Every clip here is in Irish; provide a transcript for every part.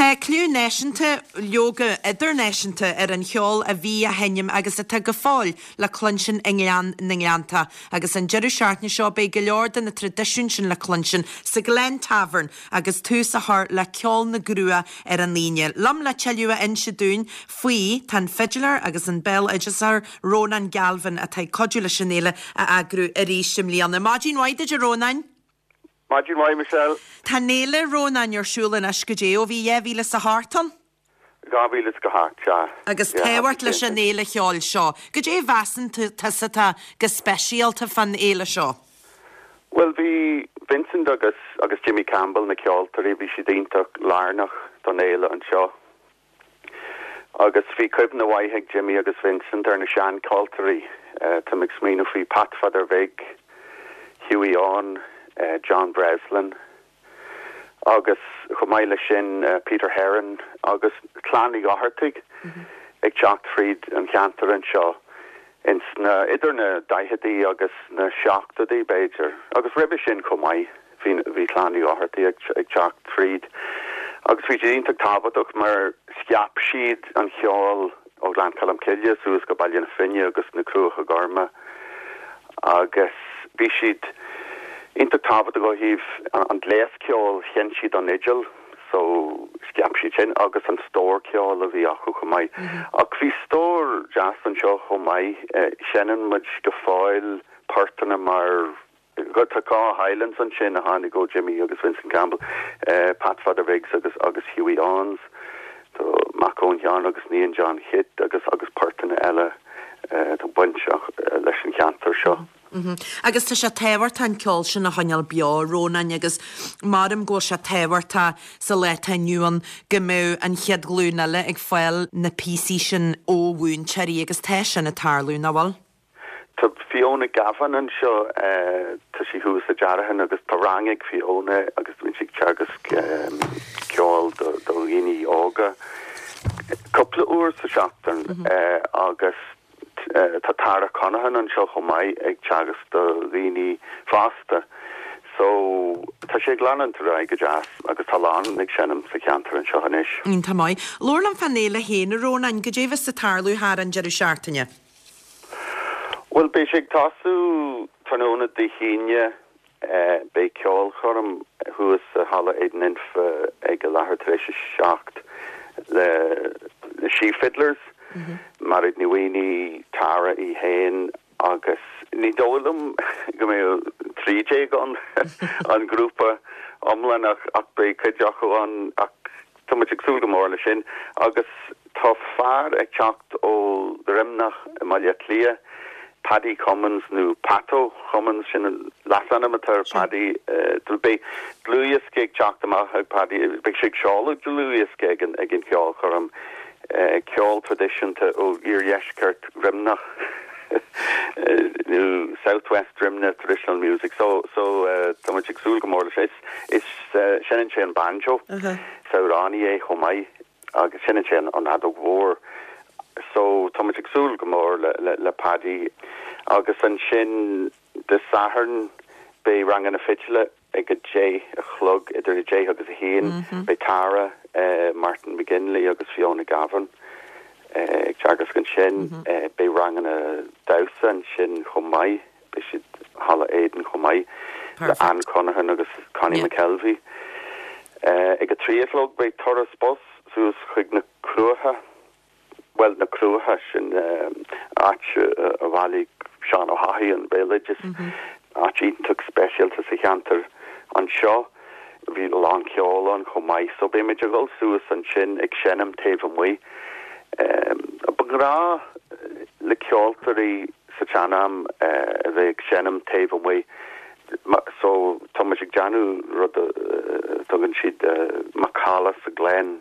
Tá cliú náisiúnta, leoga idirnáisiúnta, ar an cheol a bhí á sheinm agus atá go fóill le cluinstin i nGleann na nGleanntach. Agus an deireadh seachtaine seo beidh go leor de na traidisiúin sin le cluinstin sa Glen Tavern agus tús á chur le Ceol na gCruach ar an Aoine. Liom le tuilleadh a inse dúinn faoi tá an fidiléir agus an béaloideasóir Rónán Galvin atá ag cuidiú leis an fhéile a eagrú arís i mbliana. Maidin mhaith duit a Rónáin! Maidin mhaith, Michelle. Tá an fhéile, Rónáin, ar siúl anois goidé ó bhí 2008 ann? 2008, sea. Agus tábhacht leis an fhéile cheoil seo. Goidé a mheasann tusa atá go speisialta fán fhéile seo? Bhuel, bhí Vincent agus agus Jimmy Campbell, na ceoltóirí, bhí siad iontach lárnach don fhéile anseo. Agus bhí cuimhne mhaith ag Jimmy agus Vincent ar na seancheoltóirí. Táim ag smaoineamh faoi Pat Pheadair Bhig, Hughie Eoin, John Breslin agus chomh maith leis sin Peter Herron agus Clann Uí Dhochartaigh ag teacht fríd an cheantar anseo ins na, idir na daicheadaí agus na seachtóidí b'fhéidir agus roimhe sin chomh maith. Bhí, bhí Clann Uí Dhochartaigh ag, ag teacht tríd agus bhí siad iontach tábhachtach mar scaip siad an cheol ó Ghleann Cholm Cille suas go Baile na Finne agus na Cruacha Gorma agus bhí siad iontach tábhachtach ó thaobh an gléas ceoil, sheinn siad an fhidil so scaip siad sin agus an stór ceoil a bhí acu chomh maith. Ach bhí stór deas anseo chomh maith, seinneann muid go fóill portanna mar Tá Caw Highlands ansin a tháinig ó Jimmy agus Vincent Campbell, Pat Pheadair Bhig agus agus Hughie Eoins, tá mac Eoin Sheáin agus Níon John Chit agus agus portanna eile atá bainteach leis an cheantar seo. Agus tá sé tábhachtach an ceol sin a choinneáil beo, Rónáin, agus maram go bhfuil sé tábhachtach sa lá atá inniu ann go mbeadh an chéad ghlúin eile ag fáil na píosaí sin ó mhúinteoirí agus tá sin ag tarlú, nach bhfuil? Tá Fiona Gavin anseo, tá sí thuas i Deartháin agus tá rang ag Fiona agus bíonn sí ag teagasc ceoil do dhaoine óga cúpla uair sa seachtain agus tá Tara Conaghan anseo chomh maith ag teagasc do dhaoine fásta. So tá sé ag leanúint ar aghaidh go deas agus tá a lán ag seinm sa cheantar anseo anois. Iontach maith. Labhair liom fán fhéile féin, a Rónáin, goidé a bheas ag tarlú thar an deireadh seachtaine? Bhuel, beidh sé ag tosú tráthnóna Dé hAoine. Beidh ceolchoirm thuas i Halla Éadan Infe ag a leathuair tar éis a 7 le na Sí Fiddlers, Mairéad Ní Mhaonaigh, Tara í féin agus ní dóigh liom go mbeidh 13 ann, an grúpa iomlán ach beidh cuid acu ann ach Tá muid ag súil go mór leis sin agus tá fear ag teacht ó Dhroimneach i mBaile Átha Cliath, Paddy Cummins nó Patto Cummins, sin an leasainm atá ar Paddy. Beidh dlúthdhiosca ag teacht amach ag Paddy, beidh sé ag seoladh dlúthdhiosca ag an ag an cheolchoirm, ceol traidisiúnta ó iardheisceart Dhroimneach nó South West Drimnagh Traditional Music. So so tá muid ag súil go mór leis. Is seinneann sé an banjo, is amhránaí é chomh maith agus seinneann sé an fheadóg mhór. So tá muid ag súil go mór le Paddy. Agus ansin Dé Sathairn beidh ranganna fidile ag a deich a chlog, idir a deich agus a haon. Beidh Tara, Martin McGinley agus Fiona Gavin ag teagasc ansin. Beidh ranganna damhsa ansin chomh maith. Beidh siad i Halla Éadan chomh maith le Anne Conaghan agus Connie McKelvey. Ag a 3 a chlog beidh turas bus suas chuig na Cruacha, bhuel na Cruacha, sin áit a bhailigh Seán Ó hEochaidh an béaloideas, áit iontach speisialta sa cheantar anseo. Bhí a lán ceoil ann chomh maith so beidh muid ag dul suas ansin ag seinm taobh amuigh. Ba ghnáth le ceoltóirí sa tsean-am a bheith ag seinm taobh amuigh so tá muid ag déanamh rud a dtugann siad macalla sa Glen,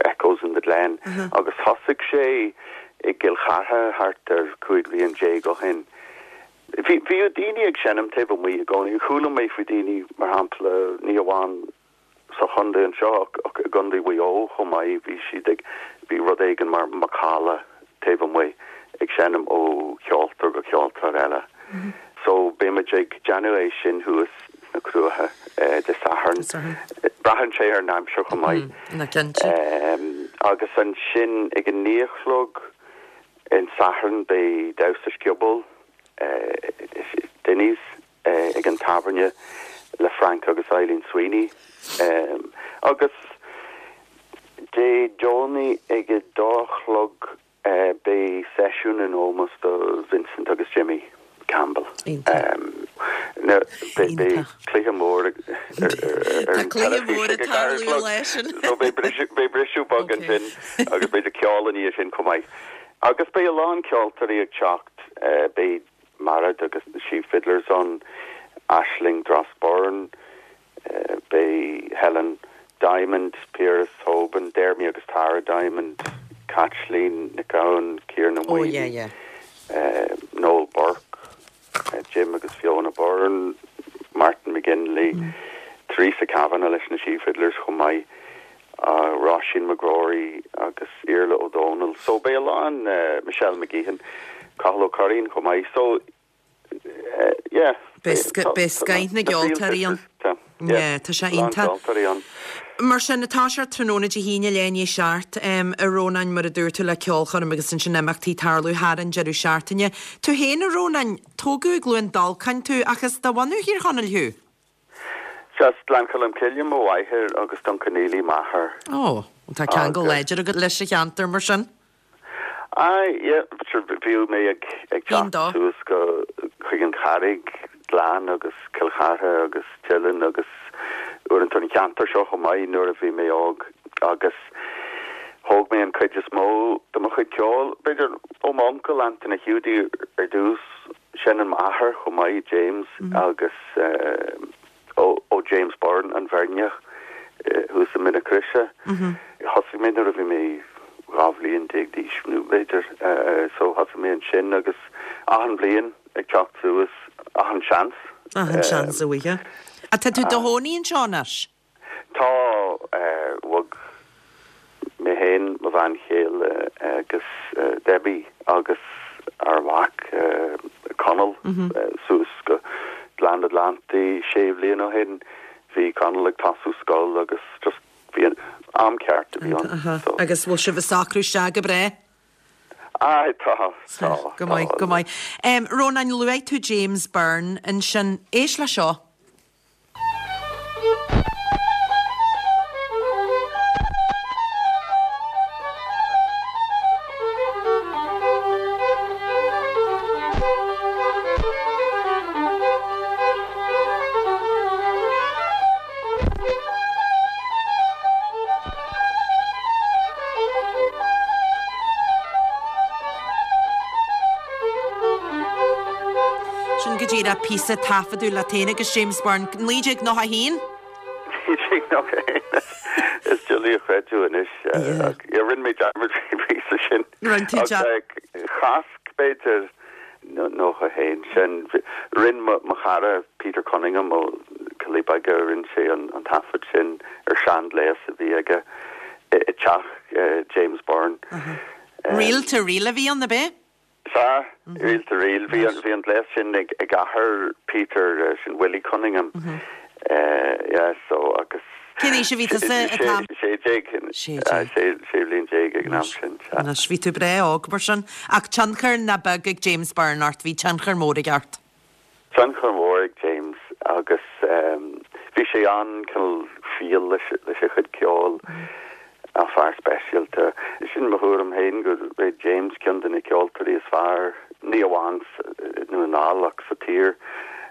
Echoes in the Glen, agus thosaigh sé i gCill Chartha thart ar 15 bhliain ó shin. Bhí, bhíodh daoine ag seinm taobh amuigh i gcónaí. Chuala mé faoi daoine, mar shampla, ní amháin sa chontae anseo ach i gContae Mhaigh Eo chomh maith, bhí siad ag, bhí rud éigin mar macalla taobh amuigh ag seinm ó cheoltóir go ceoltóir eile. So beidh muid ag déanamh é sin thuas. na Cruaiche Dé Sathairn. Braitheann sé ar an aimsir chomh maith. Agus ansin ag a naoi a chlog an Satharn beidh damhsa scioból, Dinny's, ag an tábhairne le Frank agus Eileen Sweeney. Agus Dé Domhnaigh ag a dó a chlog Beidh seisiún in ómós do Vincent agus Jimmy Campbell. Beidh cluiche mór ar an teilifís ag a ceathair a chlog so beidh briseadh beag ansin agus b'fhéidir ceol i ndiaidh sin chomh maith. Agus beidh a lán ceoltóirí ag teacht, beidh Mairéad agus na Sí Fiddlers ann, Aisling Dross Byrne, Beidh Helen Diamond, Piaras Tobin, Dermy agus Tara Diamond, Caitlín Nic Gabhann, Ciarán Ó Maonaigh, Noel Burke, Jim agus Fiona Byrne, Martin McGinley, Teresa Kavanagh leis na Sí Fiddlers chomh maith, Róisín McGrory agus Iarla Ó Dónaill. So beidh a lán, Michelle McGeehan, Cathal Ó Curraoin chomh maith. So Beidh scoith na gceoltóirí ann. Yeah, tá sé iontach. Mar sin, tá sé tráthnóna Dé hAoine leath i ndiaidh a 7, a Rónáin, mar a dúirt tú, le ceolchoirm agus ansin imeachtaí ag tarlú thar an deireadh seachtaine. Tú féin, a Rónáin, tógadh i gCluain Dolcáin tú ach is de bhunadh Thír Chonaill thú? Sea, as Gleann Cholm Cille mo mháthair agus Dún Conaill m'athair. Ó, tá ceangal láidir agat leis an cheantar mar sin. Aye, yeah, sure, bhíodh mé ag ag teacht suas go chuig an Charraig Gleann agus Cill Chartha agus Teileann agus uaireanta an cheantar seo chomh maith nuair a bhí mé óg agus thóg mé an cuid is mó de mo chuid ceoil, b'fhéidir ó m'uncail Antaine Hiúdaí ar dtús, Seineann m'athair chomh maith, James, agus ó James Byrne, an Bheirneach, thuas i Mín na Croise. Thosaigh mé nuair a bhí mé 12 bhliain d'aois, nó b'fhéidir, so thosaigh mé ansin agus achan bhliain ag teacht suas, achan seans. Achan seans a bhfaighfeá. Tá tú i do chónaí anseo anois? Tá, bhog mé féin, mo bhean chéile agus Debbie agus ár mhac Conall suas go Gleann na nGleanntaí sé bhliain ó shin. Bhí Conall ag tosú scoil agus just bhí an am ceart a bhí ann. So. Agus bhfuil sibh ag socrú isteach go breá? Aye, tá, tá, Go maith, go maith. Rónáin, luaigh tú James Byrne ansin. Éist le seo. Sin go díreach píosa taifeadadh leat féin agus James Byrne, 1991? 1991, is doiligh a chreidiúint anois. Yeah, rinne mé dearmad faoin bpíosa sin. Rinne tú dearmad. Chasc, b'fhéidir, 91 sin. Rinne mo chara Peter Cunningham ó Coillí Beaga, rinne sé an taifead sin ar seanghléas a bhí aige i dteach James Byrne. Reel to reel a bhí ann, ab ea? Sea, reel to reel. Bhí an, bhí an gléas sin ag, ag athair Peter, sin Willie Cunningham. Yeah, so agus. Cén aois a bhí tusa an t-am? 16, 16 bhliain ag an am sin, sea. Anois, bhí tú breá óg mar sin. Ach tionchar nach beag ag James Byrne ort, bhí tionchar mór aige ort. Tionchar mór ag James agus bhí sé an-cineál fial leis a chuid ceoil, fear speisialta. Sin mo thuairim féin go raibh James ceann de na ceoltóirí is fearr, ní amháin i nDún na nGall ach sa tír.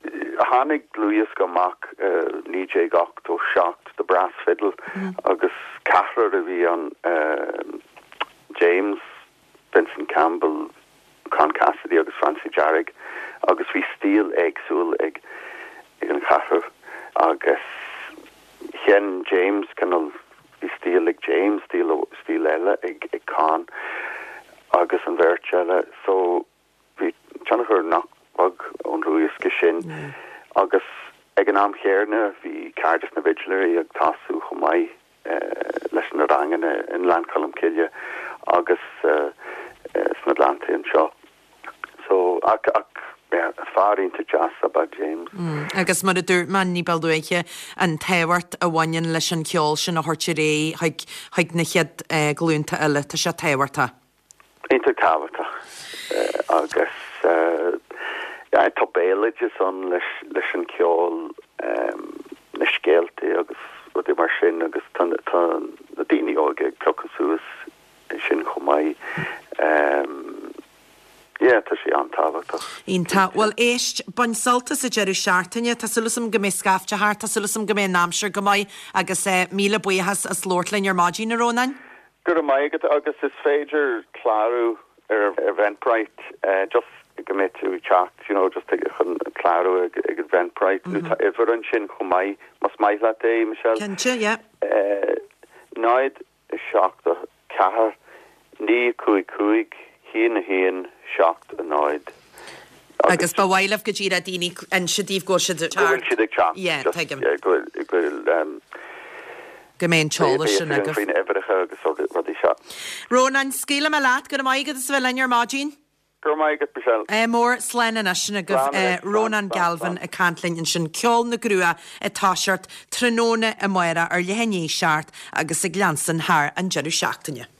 Tháinig dlúthdhiosca amach i 1987, The Brass Fiddle, agus ceathrar a bhí ann, James, Vincent Campbell, Con Cassidy agus Francie Dearg agus bhí stíl éagsúil ag an cheathrar agus sheinn James cineál, bhí stíl ag James, stíl, stíl eile ag Con agus an bheirt eile so bhí tionchar nach beag ón dlúthdhiosca sin agus ag an am chéanna bhí Cairdeas na bhFidléirí ag tosú chomh maith. leis na ranganna i nGleann Cholm Cille agus sna Gleanntaí anseo. So, ach, ach. Fear iontach deas ab ea James. Agus mar a dúirt mé ní ba luaithe, an tábhacht a bhaineann leis an cheol sin a thabhairt ar aghaidh chuig chuig na chéad ghlúnta eile, tá sé tábhachtach. Iontach tábhachtach. Agus tá béaloideas ann leis leis an cheol, na scéalta agus rudaí mar sin agus tá na daoine óga ag piocadh suas sin chomh maith. Yeah, tá sé an-tábhachtach. Iontach. Bhuel, éist, bain sult as an deireadh seachtaine. Tá súil agam go mbeidh scaifte thart, tá súil agam go mbeidh an aimsir go maith agus míle buíochas as labhairt linn ar maidin, a Rónáin. Go raibh maith agat agus is féidir clárú ar Eventbrite just go mbeidh tú ag teacht, you know, just chun clárú ag Eventbrite nó tá uimhir ansin chomh maith más maith leat é, Michelle. Cinnte, yeah. 0 7 4 9 5 5 1 1 7 0 Agus ba mhaith libh go díreach daoine inse daoibh go bhfuil siad ag teacht. Go bhfuil siad ag teacht. Yeah, tuigim. Yeah, go bhfuil, go bhfuil, Go mbeidh an t-eolas sin agaibh. Faoin uimhreacha agus rudaí seo. Rónán, scaoilfidh mé leat. Go raibh maith agat as a bheith linn ar maidin. Go raibh maith agat, Michelle. Ádh mór, slán anois. Sin agaibh Rónán Galvin ag caint linn ansin. Ceol na gCruach ag toiseacht tráthnóna amárach ar leath i ndiaidh 7 agus ag leanstan thar an deireadh seachtaine.